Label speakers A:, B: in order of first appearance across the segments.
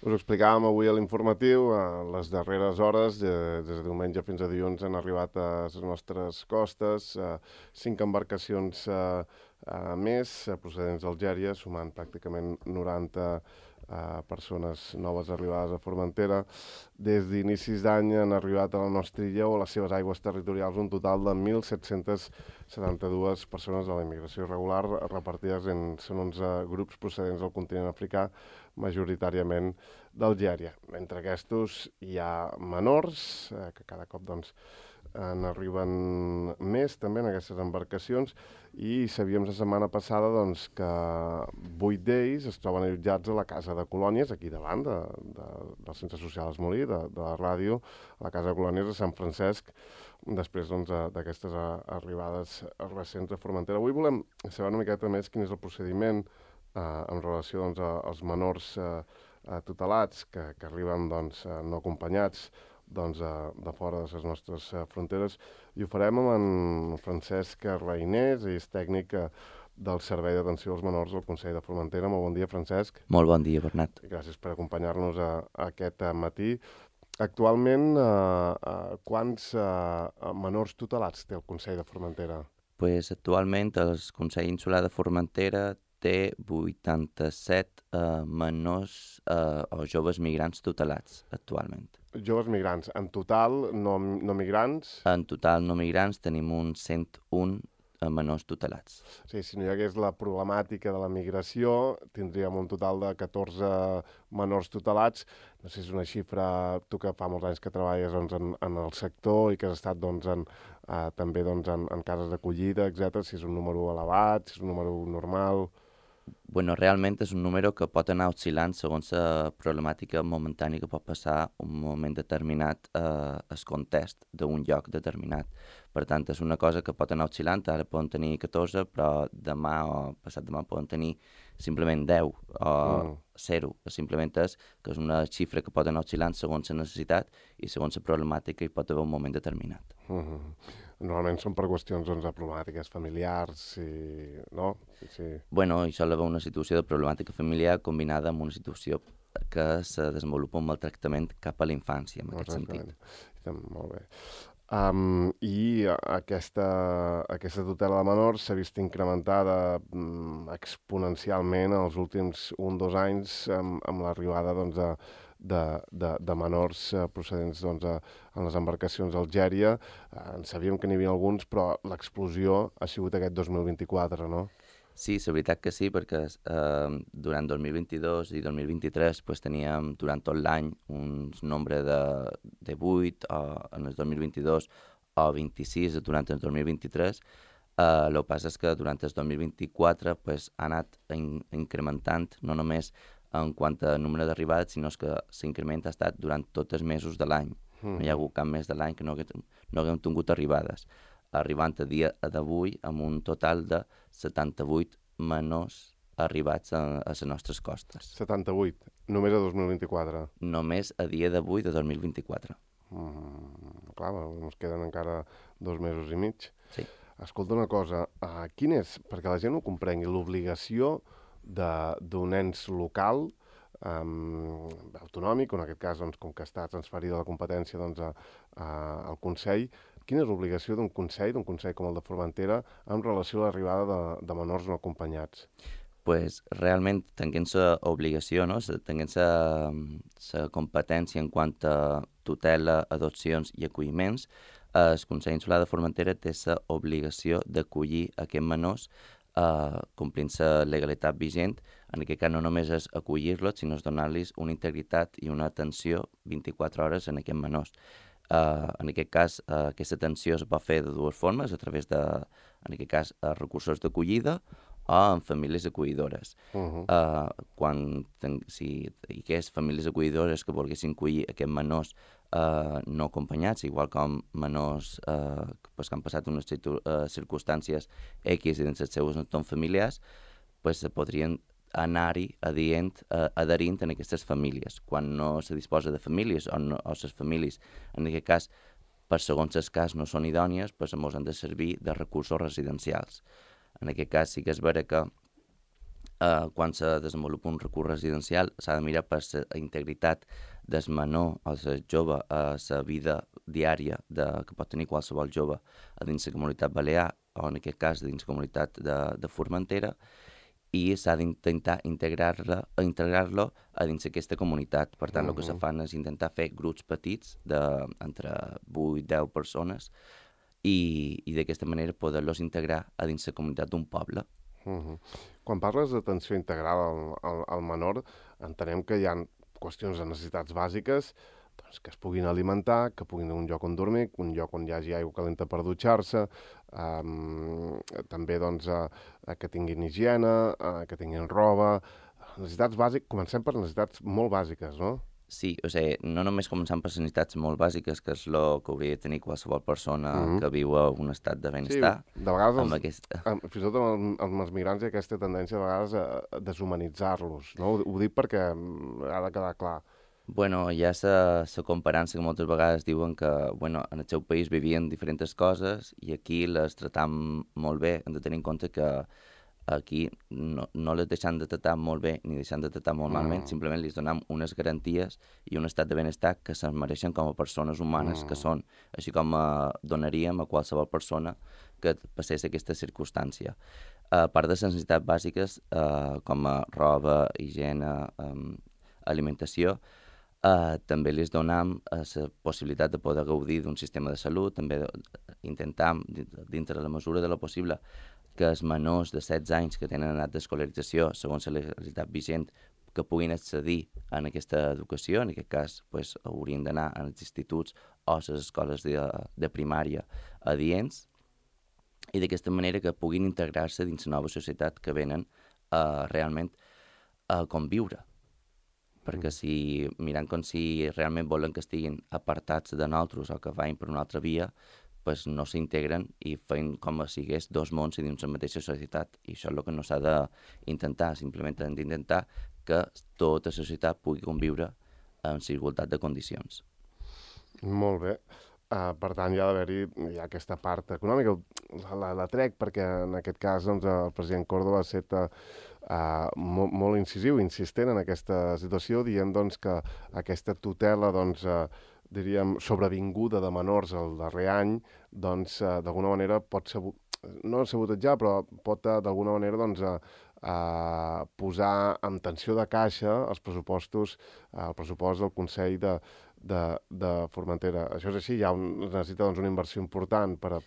A: Us ho explicàvem avui a l'informatiu, a les darreres hores, des de diumenge fins a dilluns han arribat a les nostres costes 5 embarcacions més procedents d'Algèria, sumant pràcticament 90 persones noves arribades a Formentera. Des d'inicis d'any han arribat a la nostra illa o a les seves aigües territorials un total de 1.772 persones de la immigració irregular repartides en 11 grups procedents del continent africà, majoritàriament d'Algèria. Entre aquests hi ha menors, que cada cop doncs, n'arriben més també en aquestes embarcacions, i sabíem la setmana passada doncs, que 8 d'ells es troben allotjats a la Casa de Colònies, aquí davant del Centre Social Esmolí, de la ràdio, a la Casa de Colònies de Sant Francesc, després doncs, d'aquestes arribades recents a Formentera. Avui volem saber una miqueta més quin és el procediment en relació doncs, als menors tutelats que arriben doncs, no acompanyats doncs, de fora de les nostres fronteres, i ho farem amb en Francesc Reinés, ell és tècnic del Servei d'Atenció als Menors del Consell de Formentera. Molt bon dia, Francesc.
B: Molt bon dia, Bernat.
A: Gràcies per acompanyar-nos aquest matí. Actualment, quants menors tutelats té el Consell de Formentera?
B: Pues, actualment el Consell Insular de Formentera té 87 menors o joves migrants tutelats actualment.
A: Joves migrants. En total, no migrants?
B: En total, no migrants, tenim uns 101 menors tutelats.
A: Sí, si no hi hagués la problemàtica de la migració, tindríem un total de 14 menors tutelats. No sé si és una xifra, tu que fa molts anys que treballes doncs, en el sector i que has estat doncs, també doncs, en cases d'acollida, etc. Si és un número elevat, si és un número normal...
B: Bueno, realment és un número que pot anar oscil·lant segons la problemàtica momentània que pot passar un moment determinat el context d'un lloc determinat. Per tant, és una cosa que pot anar oscil·lant, ara poden tenir 14, però demà o passat demà poden tenir simplement 10 o 0. Simplement és que és una xifra que pot anar oscil·lant segons la necessitat i segons la problemàtica i pot haver un moment determinat.
A: Normalment són per qüestions doncs, de problemàtiques familiars, no? Sí.
B: Bueno, i sol haver una situació de problemàtica familiar combinada amb una situació que se desenvolupa un maltractament cap a la infància, en aquest sentit.
A: Molt bé. I aquesta tutela de menors s'ha vist incrementada exponencialment en els últims 1 o 2 anys amb l'arribada doncs, de menors procedents doncs, en les embarcacions d'Algèria. En sabíem que n'hi havia alguns, però l'explosió ha sigut aquest 2024, no?
B: Sí, la veritat que sí, perquè durant 2022 i 2023 pues, teníem durant tot l'any un nombre de 8, en el 2022 o 26 durant el 2023. El que passa és que durant el 2024 pues, ha anat incrementant no només en quant a número d'arribades, sinó que l'increment ha estat durant tots els mesos de l'any. No hi ha hagut cap mes de l'any que no haguem tingut arribades, arribant a dia d'avui amb un total de 78 menors arribats a les nostres costes.
A: 78, només a 2024?
B: Només a dia d'avui de 2024.
A: Clar, ens queden encara 2 mesos i mig.
B: Sí.
A: Escolta una cosa, quin és, perquè la gent ho comprengui, l'obligació d'un ens local autonòmic, en aquest cas, doncs, com que està transferida la competència doncs, al Consell, quina és l'obligació d'un Consell com el de Formentera en relació a l'arribada de menors no acompanyats?
B: Pues realment tenint l'obligació, no? Tenint la competència en quant a tutela, adopcions i acolliments, el Consell Insular de Formentera té l'obligació d'acollir aquests menors complint la legalitat vigent. En aquest cas no només és acollir-los, sinó donar-los una integritat i una atenció 24 hores en aquests menors. En aquest cas, aquesta atenció es pot fer de dues formes, a través de, en aquest cas, recursos d'acollida o en famílies acollidores. Si hi hagués famílies acollidores que volguessin acollir aquests menors no acompanyats, igual com menors que han passat unes circumstàncies X i dins els seus entorns familiars, se podrien anar-hi adherint en aquestes famílies. Quan no se disposa de famílies o les famílies, en aquest cas, per segons el cas no són idònies, ens han de servir de recursos residencials. En aquest cas sí que és vera que quan se desenvolupa un recurs residencial s'ha de mirar per la integritat del menor o del jove a la vida diària que pot tenir qualsevol jove a dins la comunitat balear o en aquest cas dins la comunitat de Formentera, i s'ha d'intentar integrar-lo a dins aquesta comunitat. Per tant, el que se fan és intentar fer grups petits d'entre 8 i 10 persones i d'aquesta manera poder-los integrar a dins la comunitat d'un poble.
A: Quan parles d'atenció integral al menor, entenem que hi ha qüestions de necessitats bàsiques, doncs, que es puguin alimentar, que puguin tenir un lloc on dormir, un lloc on hi hagi aigua calenta per dutxar-se, també doncs, que tinguin higiene, que tinguin roba. Necessitats bàsiques, comencem per necessitats molt bàsiques, no?
B: Sí, o sigui, no només començant per les necessitats molt bàsiques, que és el que hauria de tenir qualsevol persona que viu a un estat de benestar.
A: Sí, de vegades, fins i tot amb els migrants hi ha aquesta tendència de vegades a deshumanitzar-los, no? Ho dic perquè ha de quedar clar.
B: Bueno, hi ha la comparança que moltes vegades diuen que bueno, en el seu país vivien diferents coses i aquí les tratam molt bé. Hem de tenir en compte que aquí no les deixem de tratar molt bé ni deixem de tratar molt malament, simplement li donem unes garanties i un estat de benestar que se'n mereixen com a persones humanes que són, així com donaríem a qualsevol persona que passés aquesta circumstància. A part de les necessitats bàsiques com a roba, higiene, alimentació, també li donem la possibilitat de poder gaudir d'un sistema de salut, també intentam, dintre de la mesura de lo possible, que els menors de 16 anys que tenen edat d'escolarització, segons la legalitat vigent, que puguin accedir a aquesta educació. En aquest cas, pues, haurien d'anar als instituts o a les escoles de primària adients, i d'aquesta manera que puguin integrar-se dins la nova societat que venen realment a conviure. Perquè mirant com si realment volen que estiguin apartats de nosaltres o que vagin per una altra via, pues no s'integren i feien com si hagués dos mons dins la mateixa societat. I això és el que no s'ha d'intentar, simplement hem d'intentar que tota la societat pugui conviure en igualtat de condicions.
A: Molt bé. Per tant, hi ha d'haver-hi aquesta part econòmica. La trec perquè en aquest cas doncs, el president Córdoba ha estat molt incisiu, insistent en aquesta situació, dient doncs, que aquesta tutela doncs, diríem, sobrevinguda de menors el darrer any, doncs, d'alguna manera pot ser, no sabotejar, però pot d'alguna manera doncs, posar en tensió de caixa el pressupost del Consell de Formentera. Això és així? Necessita doncs, una inversió important per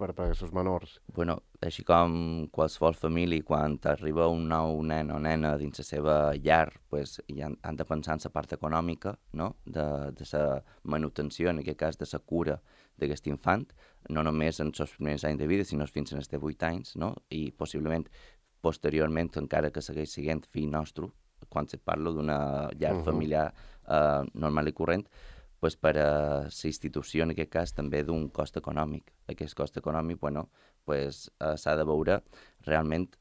A: aquests menors?
B: Bueno, així com qualsevol família, quan arriba un nou nen o nena dins la seva llar, pues, han de pensar en la part econòmica, no? De la manutenció, en aquest cas de la cura d'aquest infant, no només en els primers anys de vida, sinó fins als 8 anys, no? I possiblement posteriorment, encara que segueix sent fill nostre, quan se parla d'una llar familiar normal i corrent, pues per a la institució, en aquest cas, també d'un cost econòmic. Aquest cost econòmic, bueno, pues, s'ha de veure realment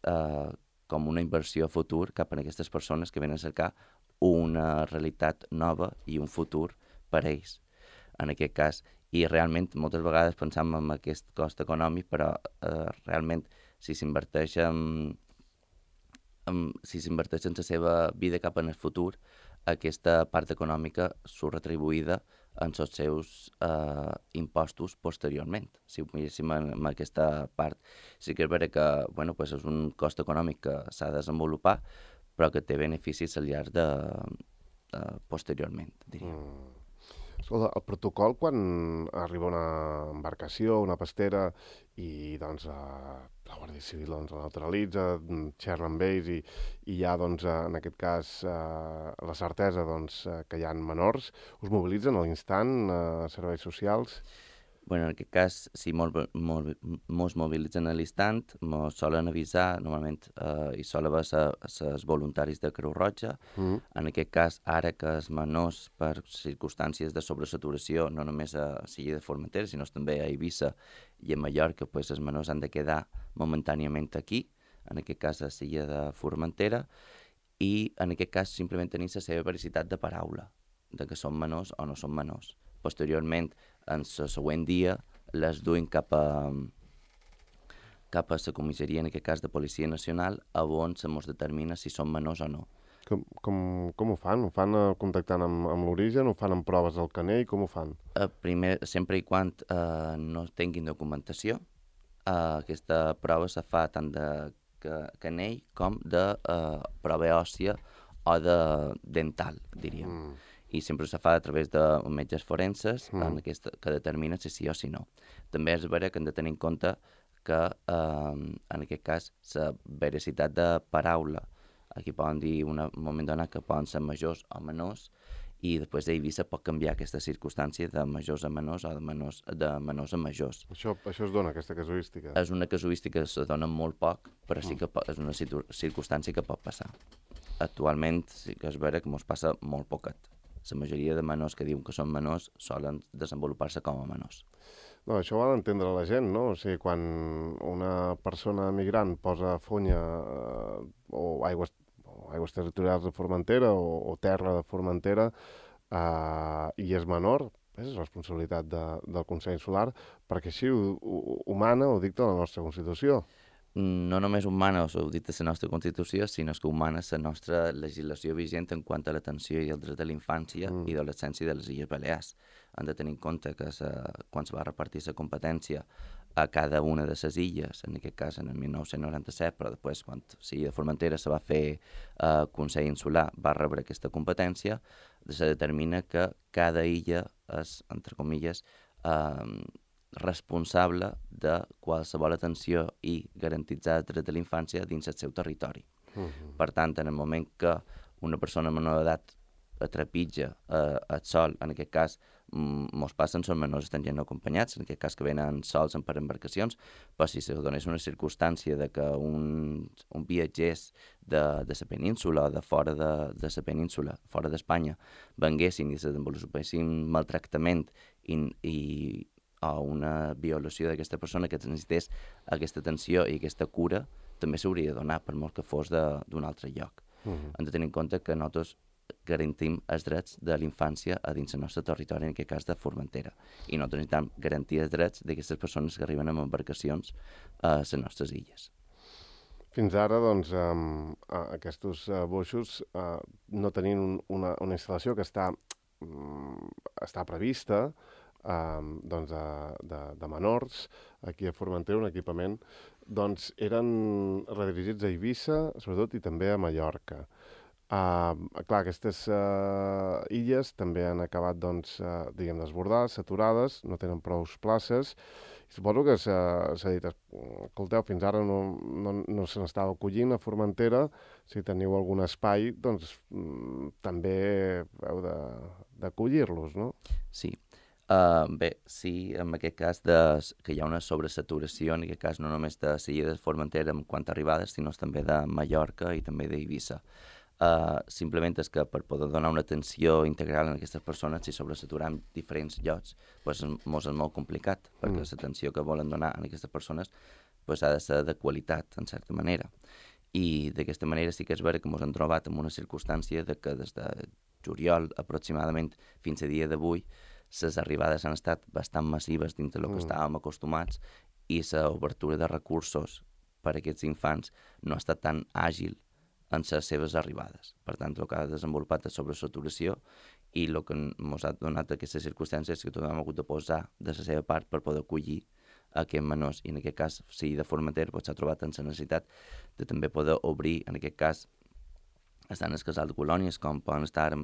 B: com una inversió a futur cap a aquestes persones que venen a cercar una realitat nova i un futur per a ells, en aquest cas. I realment, moltes vegades pensam en aquest cost econòmic, però realment, si s'inverteix en la seva vida cap en el futur, aquesta part econòmica surt retribuïda en els seus impostos posteriorment. Si ho miréssim en aquesta part, sí que és vera que bueno, pues és un cost econòmic que s'ha de desenvolupar, però que té beneficis al llarg posteriorment, diria.
A: Escolta, el protocol quan arriba una embarcació, una pastera, i doncs la Guàrdia Civil doncs, la neutralitza, xerra amb ells i hi ha, doncs, en aquest cas, la certesa doncs, que hi ha menors, us mobilitzen a l'instant, serveis socials?
B: Bueno, en aquest cas, si mos mobilitzen a l'instant, mos solen avisar, normalment hi sol haver els voluntaris de Creu Roja. En aquest cas, ara que els menors, per circumstàncies de sobresaturació, no només a l'illa de Formentera, sinó també a Eivissa i a Mallorca, pues, els menors han de quedar momentàniament aquí, en aquest cas a l'illa de Formentera, i en aquest cas simplement tenir la seva veracitat de paraula, de que són menors o no són menors. Posteriorment, en el següent dia, les duim cap cap a la comissaria, en aquest cas de Policia Nacional, on se mos determina si són menors o no.
A: Com ho fan? Ho fan contactant amb l'origen? Ho fan amb proves del canell? Com ho fan?
B: Primer, sempre i quan no tinguin documentació, aquesta prova se fa tant de canell com de prova òssia o de dental, diríem. I sempre se fa a través de metges forenses que determinen si sí o si no. També és vera que hem de tenir en compte que, en aquest cas, la veracitat de paraula, aquí poden dir un moment donat que poden ser majors o menors, i després a Eivissa pot canviar aquesta circumstància de majors a menors o de menors a majors.
A: Això es dona, aquesta casuística?
B: És una casuística que se dona molt poc, però sí que és una circumstància que pot passar. Actualment sí que és vera que ens passa molt poquet. La majoria de menors que diuen que són menors solen desenvolupar-se com a menors.
A: No, això ho ha d'entendre la gent, no? O sigui, quan una persona migrant posa fonya o aigües territorials de Formentera o terra de Formentera i és menor, és responsabilitat del Consell Insular, perquè així ho mana, ho dicta la nostra Constitució.
B: No només humana, ho dicta la nostra Constitució, sinó que humana la nostra legislació vigent en quant a l'atenció i el dret de la infància i d'adolescència de les Illes Balears. Han de tenir en compte que quan se va repartir la competència a cada una de les illes, en aquest cas en el 1997, però després quan l'illa de Formentera se va fer Consell Insular, va rebre aquesta competència, se determina que cada illa és, entre comilles, responsable de qualsevol atenció i garantitzar el dret de la infància dins el seu territori. Per tant, en el moment que una persona menor d'edat trepitja el sol, en aquest cas mos passen, són menors estrangers no acompanyats, en aquest cas que venen sols per embarcacions, però si se donés una circumstància de que un viatgers de la península o de fora de la península, fora d'Espanya, venguessin i se desenvolupessin maltractament o una violació d'aquesta persona que necessités aquesta atenció i aquesta cura, també s'hauria de donar, per molt que fos d'un altre lloc. Hem de tenir en compte que nosaltres garantim els drets de la infància a dins el nostre territori, en aquest cas de Formentera. I nosaltres necessitem garantir els drets d'aquestes persones que arriben amb embarcacions a les nostres illes.
A: Fins ara, doncs, aquests boixos no tenien una instal·lació que està prevista, doncs de menors, aquí a Formentera, un equipament, doncs eren redirigits a Eivissa, sobretot, i també a Mallorca. Clar, aquestes illes també han acabat, doncs, desbordades, saturades, no tenen prou places. Suposo que s'ha dit, escolteu, fins ara no se n'estava acollint a Formentera, si teniu algun espai, doncs també heu d'acollir-los, no?
B: Sí. Bé, sí, en aquest cas que hi ha una sobresaturació, en aquest cas no només de l'illa de Formentera en quant a arribades, sinó també de Mallorca i també d'Eivissa. Simplement és que per poder donar una atenció integral a aquestes persones, si sobresaturam diferents llocs, doncs és molt complicat, perquè l'atenció que volen donar a aquestes persones ha de ser de qualitat, en certa manera. I d'aquesta manera sí que és vera que ens hem trobat en una circumstància de que des de juliol aproximadament fins a dia d'avui les arribades han estat bastant massives dins del que estàvem acostumats i l'obertura de recursos per a aquests infants no ha estat tan àgil en les seves arribades. Per tant, el que ha desenvolupat és sobresaturació i el que ens ha donat aquestes circumstàncies és que tothom ha hagut de posar de la seva part per poder acollir aquests menors. I en aquest cas, si de Formentera s'ha trobat en la necessitat de també poder obrir, en aquest cas, estan els casals de colònies, com poden estar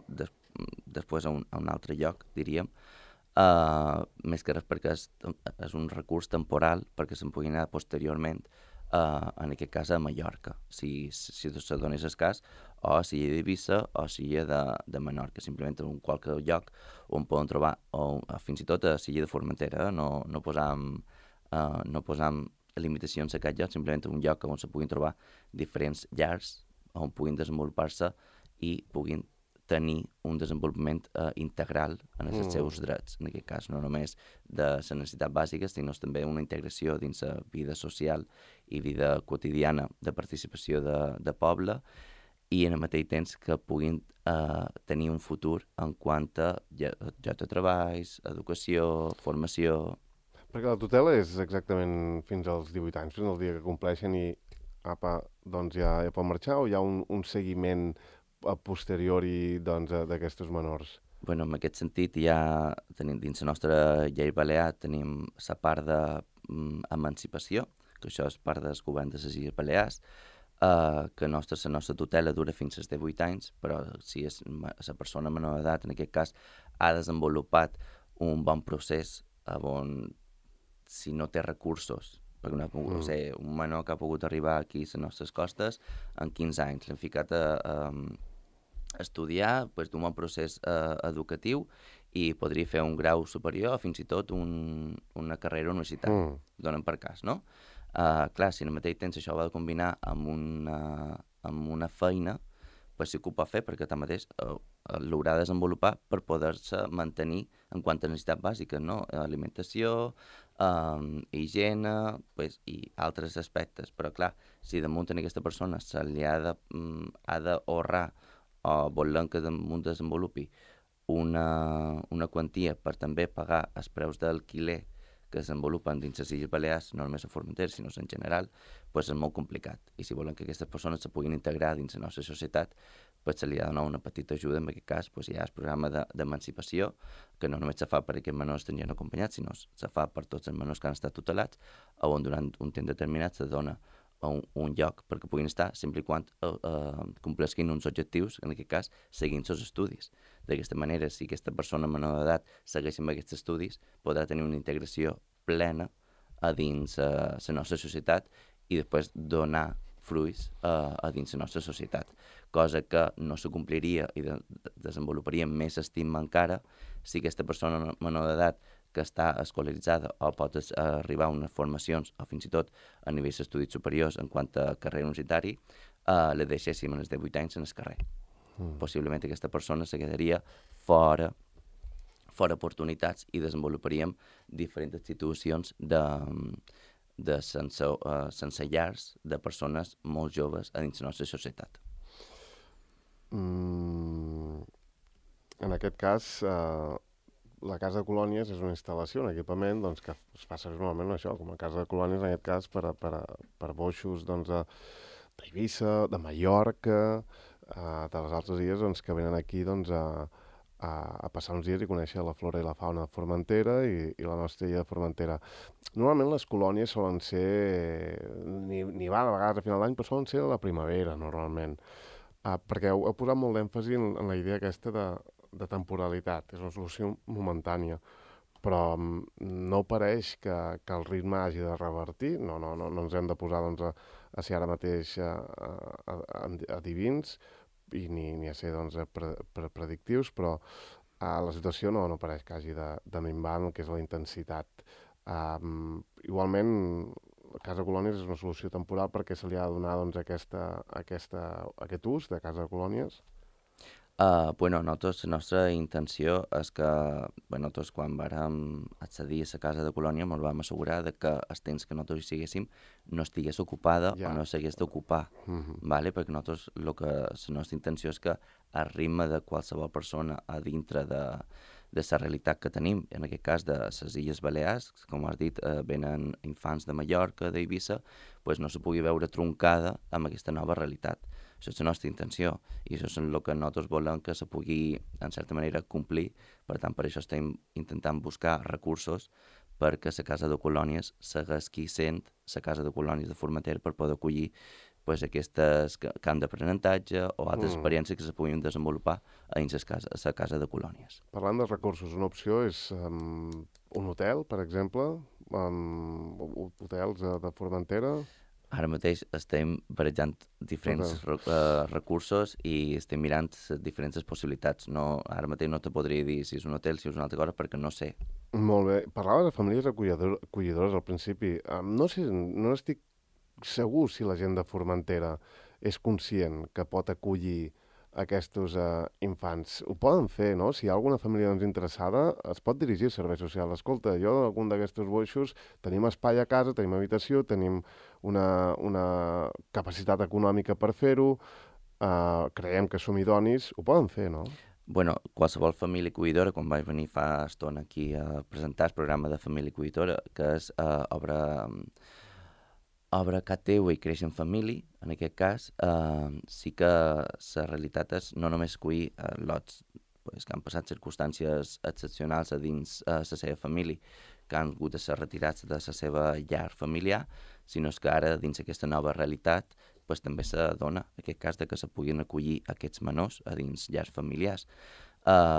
B: després a un altre lloc, diríem, més que res perquè és un recurs temporal perquè se'n pugui anar posteriorment, en aquest cas a Mallorca, si se donés el cas, o a l'illa d'Eivissa o a l'illa de Menorca, simplement en qualsevol lloc on poden trobar, o fins i tot a l'illa de Formentera, no posam limitacions a aquest lloc, simplement un lloc on se puguin trobar diferents llars on puguin desenvolupar-se i puguin tenir un desenvolupament integral en els seus drets, en aquest cas, no només de les necessitats bàsiques, sinó també una integració dins la vida social i vida quotidiana de participació de poble i en el mateix temps que puguin tenir un futur en quant a lloc de treballs, educació, formació.
A: Perquè la tutela és exactament fins als 18 anys, fins al dia que compleixen i apa, doncs ja pot marxar o hi ha un seguiment a posteriori doncs, d'aquestos menors?
B: Bueno, en aquest sentit ja tenim dins la nostra llei balear tenim la part d'emancipació, que això és part del govern de les Illes Balears, que la nostra tutela dura fins als 18 anys, però si és la persona menor d'edat, en aquest cas, ha desenvolupat un bon procés on, si no té recursos, perquè no ha pogut ser un menor que ha pogut arribar aquí a les nostres costes en 15 anys, l'hem ficat a estudiar pues, d'un bon procés educatiu i podria fer un grau superior o fins i tot una carrera universitària, donen per cas, no? Clar, si al mateix temps això ho ha de combinar amb una feina, pues sí que ho pot fer perquè tanmateix l'haurà de desenvolupar per poder-se mantenir en quant a necessitats bàsiques, no? Alimentació, higiene pues, i altres aspectes. Però clar, si damunt en aquesta persona se li ha d'ahorrar o volem que damunt desenvolupi una quantia per també pagar els preus d'alquiler que es desenvolupen dins les Illes Balears, no només a Formentera, sinó en general, pues és molt complicat. I si volen que aquestes persones se puguin integrar dins la nostra societat, pues se li ha de donar una petita ajuda. En aquest cas, pues hi ha el programa d'emancipació, que no només se fa per a aquests menors estrangers acompanyats, sinó se fa per tots els menors que han estat tutelats, on durant un temps determinat se dona un lloc perquè puguin estar sempre i quan compleixin uns objectius, en aquest cas, seguint els estudis. D'aquesta manera, si aquesta persona menor d'edat segueix amb aquests estudis, podrà tenir una integració plena a dins la nostra societat i després donar fruits a dins la nostra societat, cosa que no se compliria i desenvoluparia més estima encara si aquesta persona menor d'edat que està escolaritzada o pot arribar a unes formacions o fins i tot a nivells d'estudis superiors en quant a carrera universitari, la deixéssim als 18 anys en el carrer. Possiblement aquesta persona se quedaria fora oportunitats i desenvoluparíem diferents situacions sense llars de persones molt joves a dins la nostra societat.
A: En aquest cas, la Casa de Colònies és una instal·lació, un equipament doncs, que es fa servir normalment això, com a Casa de Colònies, en aquest cas, per boixos doncs, d'Eivissa, de Mallorca, de les altres illes doncs, que venen aquí doncs, a passar uns dies i conèixer la flora i la fauna de Formentera i la nostra illa de Formentera. Normalment les colònies solen ser, n'hi va de vegades a final d'any, però solen ser a la primavera, normalment. Perquè heu posat molt d'èmfasi en la idea aquesta de temporalitat, és una solució momentània, però no pareix que el ritme hagi de revertir, no ens hem de posar doncs, a ser ara mateix adivins i ni a ser doncs, predictius, però la situació no pareix que hagi de minvar el que és la intensitat. Igualment, la Casa de Colònies és una solució temporal perquè se li ha de donar doncs, aquest ús de Casa de Colònies.
B: Nosaltres, la nostra intenció és que nosaltres quan vàrem accedir a la Casa de Colònia ens vam assegurar de que els temps que nosaltres hi siguéssim no estigués ocupada o no s'hagués d'ocupar, vale? Perquè nosaltres la nostra intenció és que el ritme de qualsevol persona a dintre de la realitat que tenim, en aquest cas de les Illes Balears, com has dit, venen infants de Mallorca, d'Eivissa, pues no se pugui veure troncada amb aquesta nova realitat. Això és la nostra intenció i això és el que nosaltres volem que se pugui, en certa manera, complir. Per tant, per això estem intentant buscar recursos perquè la Casa de Colònies segueixi sent la Casa de Colònies de Formentera per poder acollir pues, aquestes camps d'aprenentatge o altres experiències que se puguin desenvolupar a dins la Casa de Colònies.
A: Parlant de recursos, una opció és un hotel, per exemple, hotels de Formentera.
B: Ara mateix estem barrejant diferents recursos i estem mirant diferents possibilitats. Ara mateix no te podria dir si és un hotel, si és una altra cosa, perquè no sé.
A: Molt bé. Parlaves de famílies acollidores al principi. No estic segur si la gent de Formentera és conscient que pot acollir aquests infants. Ho poden fer, no? Si hi ha alguna família interessada, es pot dirigir al servei social. Escolta, jo d'algun d'aquests boixos tenim espai a casa, tenim habitació, tenim una capacitat econòmica per fer-ho, creiem que som idonis, ho poden fer, no?
B: Bueno, qualsevol família acollidora, quan vaig venir fa estona aquí a presentar el programa de família acollidora, que és obre casa teua i creix en família, en aquest cas, sí que la realitat és no només acollir lots pues, que han passat circumstàncies excepcionals a dins la seva família, que han hagut de ser retirats de la seva llar familiar, sinó que ara, dins aquesta nova realitat, pues, també se dona aquest cas de que se puguin acollir aquests menors a dins llars familiars.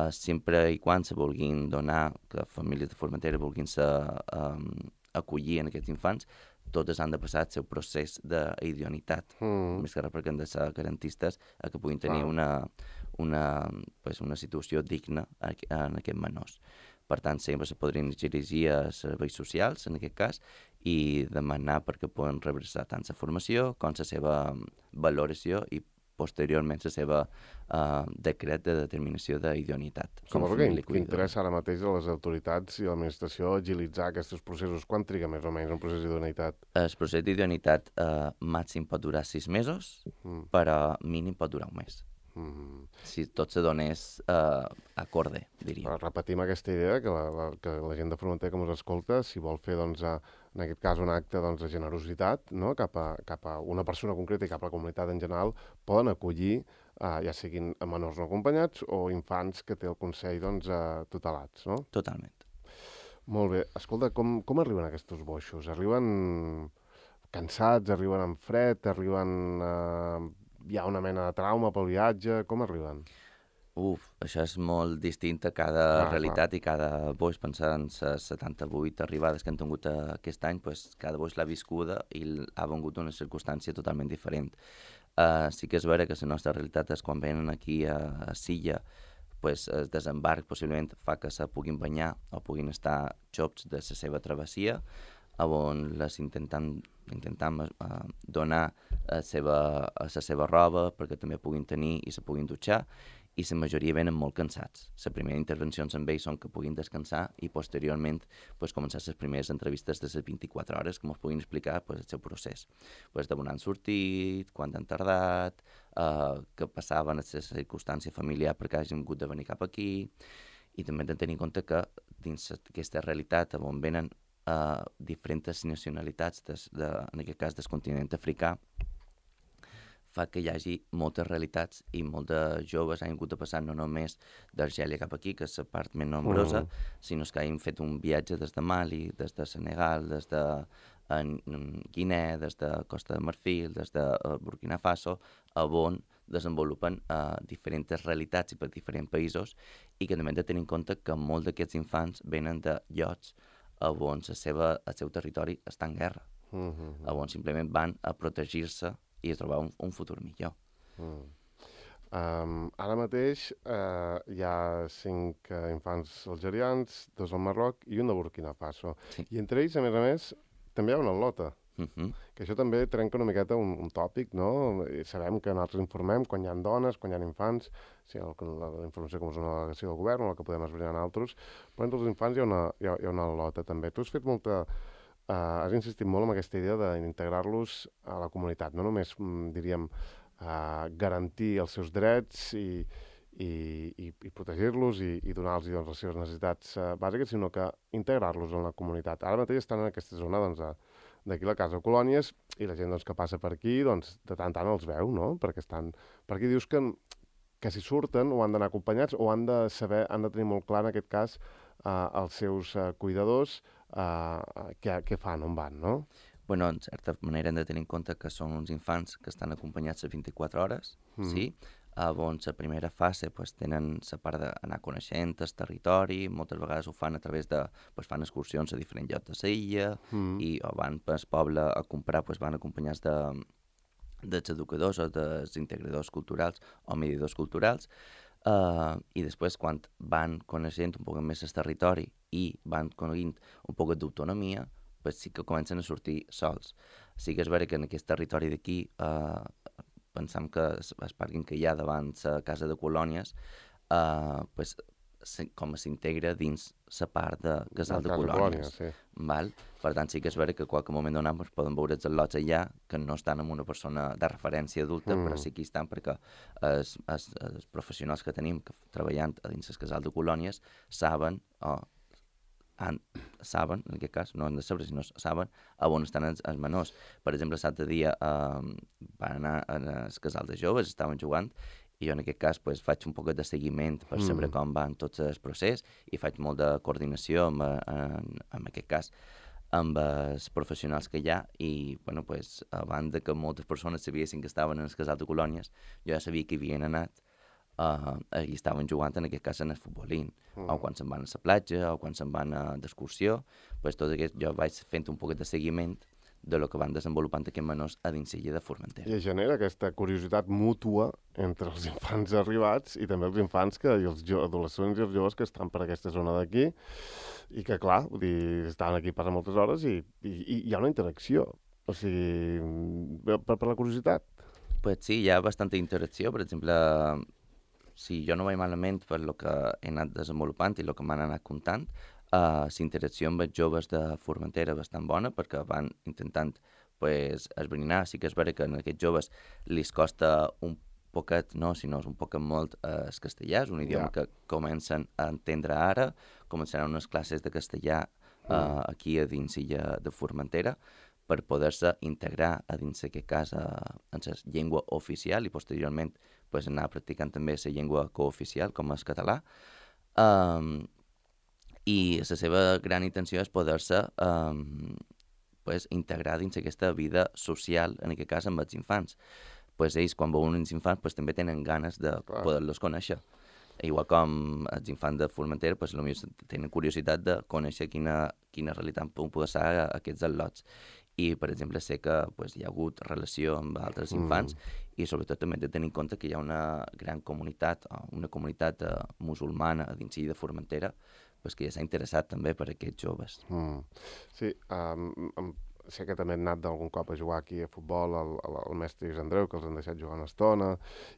B: Sempre i quan se vulguin donar, que famílies de Formentera vulguin acollir en aquests infants, totes han de passar el seu procés d'idoneïtat, més que res perquè han de ser garantistes a que puguin tenir una situació digna en aquests menors. Per tant, sempre se podrien dirigir a serveis socials, en aquest cas, i demanar perquè poden rebre tant la formació com la seva valoració i posteriorment la seva decret de determinació d'idoneïtat.
A: Suposo que interessa ara mateix a les autoritats i a l'administració agilitzar aquests processos. Quan triga més o menys un procés d'idoneïtat?
B: El procés d'idoneïtat màxim pot durar 6 mesos, però mínim pot durar un mes. Si tot se donés acorde, diria.
A: Repetim aquesta idea, que la gent de Formentera que ens escolta, si vol fer, doncs, en aquest cas, un acte de generositat, no? cap a una persona concreta i cap a la comunitat en general, poden acollir, ja siguin menors no acompanyats o infants que té el Consell tutelats, no?
B: Totalment.
A: Molt bé. Escolta, com arriben aquests boixos? Arriben cansats, arriben amb fred, arriben... hi ha una mena de trauma pel viatge, com arriben?
B: Això és molt distint a cada realitat i cada boix. Pensant en les 78 arribades que han tingut aquest any, pues, cada boix l'ha viscuda i ha vengut una circumstància totalment diferent. Sí que és vera que la nostra realitat és quan venen aquí a Silla, pues, el desembarc possiblement fa que se puguin banyar o puguin estar xops de la seva travessia, on les intentam donar la seva roba perquè també puguin tenir i se puguin dutxar, i la majoria venen molt cansats. Les primeres intervencions amb ells són que puguin descansar i posteriorment pues, començar les primeres entrevistes de les 24 hores que ens puguin explicar pues, el seu procés. Pues, d'on han sortit, quan han tardat, què passava en la circumstància familiar perquè hagin hagut de venir cap aquí, i també hem de tenir en compte que dins aquesta realitat on venen diferents nacionalitats, en aquest cas del continent africà, fa que hi hagi moltes realitats i molts de joves han hagut de passar no només d'Argèlia cap aquí, que és la part més nombrosa, sinó que hagin fet un viatge des de Mali, des de Senegal, des de Guinea, des de Costa de Marfil, des de Burkina Faso, on desenvolupen diferents realitats i per diferents països, i que també hem de tenir en compte que molts d'aquests infants venen de llocs on el seu territori està en guerra, on simplement van a protegir-se i a trobar un futur millor.
A: Ara mateix hi ha 5 infants algerians, 2 al Marroc i un de Burkina Faso.
B: Sí.
A: I entre ells, a més, també hi ha una al·lota. Que això també trenca una miqueta un tòpic, no? I sabem que nosaltres informem quan hi ha dones, quan hi ha infants, sí, la informació com és una delegació del govern o la que podem esbrinar nosaltres, però entre els infants hi ha una al·lota també. Tu has fet has insistit molt en aquesta idea d'integrar-los a la comunitat, no només, diríem, garantir els seus drets i protegir-los i donar-los les seves necessitats bàsiques, sinó que integrar-los en la comunitat. Ara mateix estan en aquesta zona d'aquí la Casa Colònies i la gent que passa per aquí de tant en tant els veu, no? Perquè estan per aquí. Dius que si surten o han d'anar acompanyats o han de tenir molt clar en aquest cas els seus cuidadors què fan, on van, no?
B: Bueno, en certa manera hem de tenir en compte que són uns infants que estan acompanyats a 24 hores, sí? On la primera fase pues, tenen la part d'anar coneixent el territori, moltes vegades ho fan a través de... Pues, fan excursions a diferents llocs de l'illa o van pel poble a comprar, pues, van acompanyats dels educadors o dels integradors culturals o mediadors culturals, i després quan van coneixent un poc més el territori i van coneguint un poc d'autonomia, pues sí que comencen a sortir sols. Sí que és vera que en aquest territori d'aquí pensam que el pàrquing que hi ha davant la Casa de Colònies pues com s'integra dins la part de casal de
A: Casa
B: colònies.
A: sí.
B: Val? Per tant, sí que és vera que a qualque moment donat pues, poden veure els al·lots allà que no estan amb una persona de referència adulta, però sí que hi estan perquè els professionals que tenim que treballant a dins el casal de colònies saben, saben, en aquest cas, no han de saber, sinó saben on estan els menors. Per exemple, l'altre dia van anar al casal de joves, estaven jugant, i jo en aquest cas pues, faig un poc de seguiment per saber com van tots els procés i faig molt de coordinació en aquest cas amb els professionals que hi ha i, bueno, pues, a banda que moltes persones sabiessin que estaven en el casal de colònies, jo ja sabia que hi havien anat i estaven jugant en aquest cas en el futbolín, o quan se'n van a la platja, o quan se'n van d'excursió, pues, tot aquest, jo vaig fent un poquet de seguiment de lo que van desenvolupant aquests menors a dins l'illa de Formentera.
A: I es genera aquesta curiositat mútua entre els infants arribats i també els infants i els adolescents i els joves que estan per aquesta zona d'aquí i que, clar, vull dir, estan aquí per moltes hores i hi ha una interacció. O sigui, per la curiositat.
B: Pues sí, hi ha bastanta interacció. Per exemple, si jo no vaig malament per lo que he anat desenvolupant i el que m'han anat comptant, la interacció amb els joves de Formentera bastant bona perquè van intentant pues, esbrinar. Sí que és vera que a aquests joves els costa un poquet, no, sinó un poquet molt el castellà, és un idioma que comencen a entendre ara, començaran unes classes de castellà aquí a dins l'illa de Formentera per poder-se integrar a dins aquest cas en la llengua oficial i posteriorment pues, anar practicant també la llengua cooficial com és català. I la seva gran intenció és poder-se pues, integrar dins aquesta vida social, en aquest cas amb els infants. Pues ells, quan veuen uns infants, pues, també tenen ganes de poder-los conèixer. Igual com els infants de Formentera, pues, potser tenen curiositat de conèixer quina realitat poden ser aquests al·lots. I, per exemple, sé que pues, hi ha hagut relació amb altres infants i sobretot també hem de tenir en compte que hi ha una gran comunitat, una comunitat musulmana a dins de Formentera, pues, que ja s'ha interessat també per aquests joves.
A: Sí, sé que també han anat d'algun cop a jugar aquí a futbol al mestre Lluís Andreu, que els han deixat jugar una estona,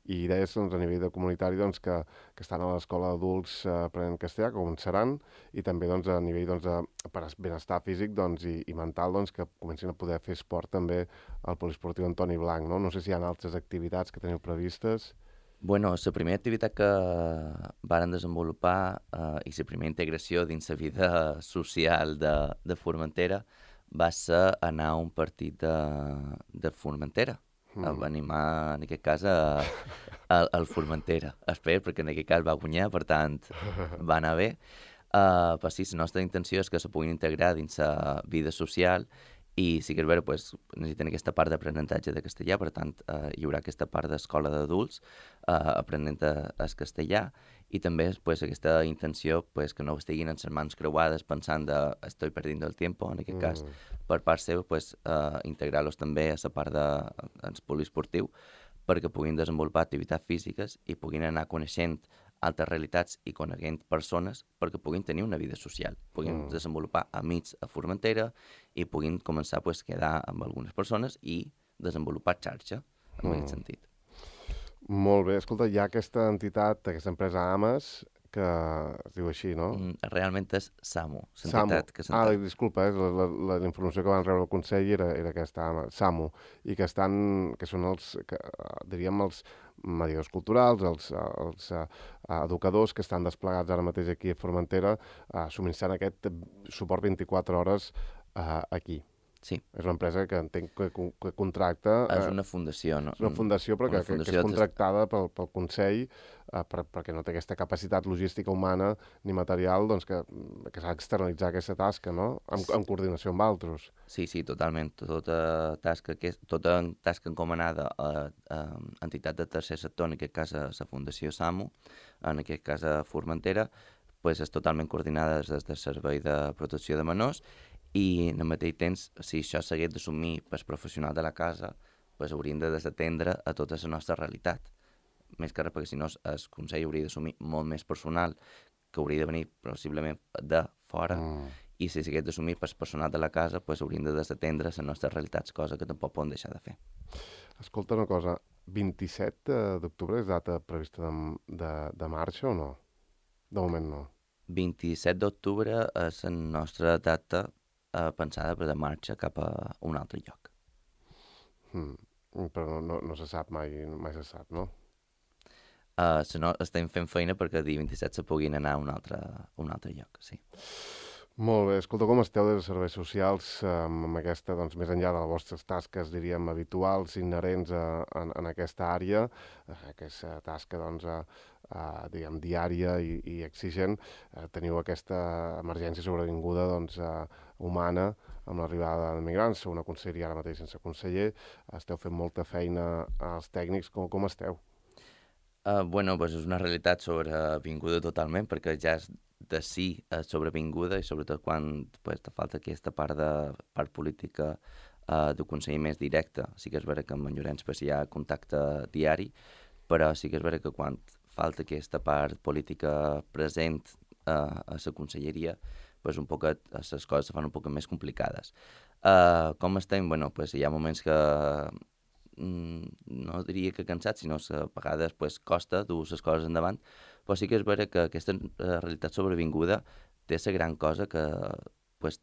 A: i deies doncs, a nivell de comunitari doncs, que estan a l'escola d'adults aprenent castellà, que començaran, i també doncs, a nivell doncs, per benestar físic doncs, i mental doncs, que comencin a poder fer esport també al poliesportiu Antoni Blanc. No sé si hi ha altres activitats que teniu previstes.
B: Bueno, la primera activitat que varen desenvolupar i la primera integració dins la vida social de Formentera va ser anar a un partit de Formentera, a animar, en aquest cas, al Formentera. Espero, perquè en aquest cas va guanyar, per tant, va anar bé. Però sí, la nostra intenció és que se puguin integrar dins la vida social i sí que és vera, pues, necessiten aquesta part d'aprenentatge de castellà, per tant, hi haurà aquesta part d'escola d'adults aprenent el castellà i també pues, aquesta intenció pues, que no estiguin en les mans creuades pensant de estoy perdiendo el tiempo, en aquest cas, per part seva, pues, integrar-los també a la part del poliesportiu perquè puguin desenvolupar activitats físiques i puguin anar coneixent altres realitats i coneguent persones perquè puguin tenir una vida social, puguin desenvolupar amics a Formentera i puguin començar pues, a quedar amb algunes persones i desenvolupar xarxa en aquest sentit.
A: Molt bé. Escolta, hi ha aquesta entitat, aquesta empresa AMAS, que es diu així, no?
B: Realment és SAMU, l'entitat que
A: s'entén. Disculpa, la informació que van rebre el Consell era aquesta AMAS, SAMU, i que són els, diríem, els mediadors culturals, els educadors que estan desplegats ara mateix aquí a Formentera, subministrant aquest suport 24 hores aquí.
B: Sí.
A: És una empresa que entenc que contracta...
B: És una fundació, no?
A: És una fundació, però que és contractada pel Consell perquè no té aquesta capacitat logística humana ni material doncs, que s'ha d'externalitzar aquesta tasca, no? En coordinació amb altres.
B: Sí, totalment. Tota tasca encomanada a entitat de tercer sector, en aquest cas a la Fundació SAMU, en aquest cas a Formentera, pues és totalment coordinada des del Servei de Protecció de Menors i en el mateix temps, si això s'hagués d'assumir pel professional de la casa, pues haurien de desatendre a tota la nostra realitat. Més que res, perquè si no el Consell hauria d'assumir molt més personal que hauria de venir possiblement de fora i si s'hagués d'assumir pel personal de la casa, pues haurien de desatendre les nostres realitats, cosa que tampoc poden deixar de fer.
A: Escolta una cosa, 27 d'octubre és data prevista de marxa o no? De moment no.
B: 27 d'octubre és la nostra data pensada per de marxa cap a un altre lloc.
A: Però no se sap mai se sap, no?
B: No, estem fent feina perquè el dia 27 se puguin anar a un altre lloc, sí.
A: Molt bé. Escolta, com esteu des de serveis socials amb aquesta, doncs, més enllà de les vostres tasques, diríem, habituals, inherents en aquesta àrea, aquesta tasca, doncs, diguem, diària i exigent, teniu aquesta emergència sobrevinguda, doncs, humana, amb l'arribada de migrants, sou una conselleria ara mateix sense conseller, esteu fent molta feina als tècnics, com esteu?
B: Bueno, pues és una realitat sobrevinguda totalment, perquè ja és de si és sobrevinguda i sobretot quan pues, te falta aquesta part política de conseller més directe. Sí que és vera que amb en Llorenç pues, hi ha contacte diari, però sí que és vera que quan falta aquesta part política present a la conselleria, pues, un poquet, les coses se fan un poc més complicades. Com estem? Bueno, pues, hi ha moments que no diria que cansat, sinó que a vegades pues, costa dur les coses endavant, però sí que és vera que aquesta realitat sobrevinguda té la gran cosa que pues,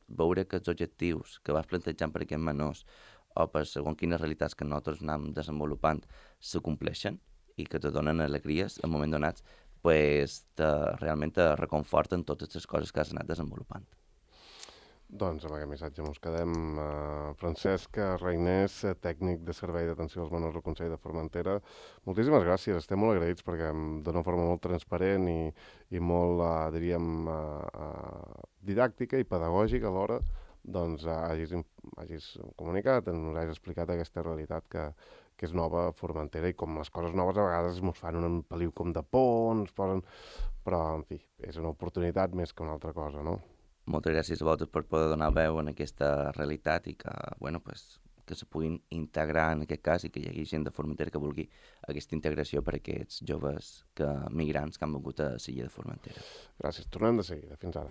B: veure que els objectius que vas plantejant per aquests menors o per segons quines realitats que nosaltres anem desenvolupant se compleixen i que te donen alegries en moments donats, pues, realment te reconforten totes les coses que has anat desenvolupant.
A: Doncs amb aquest missatge ens quedem. Francesc Reinés, tècnic de servei d'atenció als menors del Consell de Formentera. Moltíssimes gràcies, estem molt agraïts perquè d'una forma molt transparent i molt, diríem, didàctica i pedagògica alhora, doncs hagis comunicat, ens hagis explicat aquesta realitat que és nova a Formentera i com les coses noves a vegades ens fan un peliu com de por, ens posen... Però, en fi, és una oportunitat més que una altra cosa, no?
B: Moltes gràcies a vosaltres per poder donar veu en aquesta realitat i que, bueno, pues, que se puguin integrar en aquest cas i que hi hagi gent de Formentera que vulgui aquesta integració per a aquests joves migrants que han vingut a l'illa de Formentera.
A: Gràcies. Tornem de seguida. Fins ara.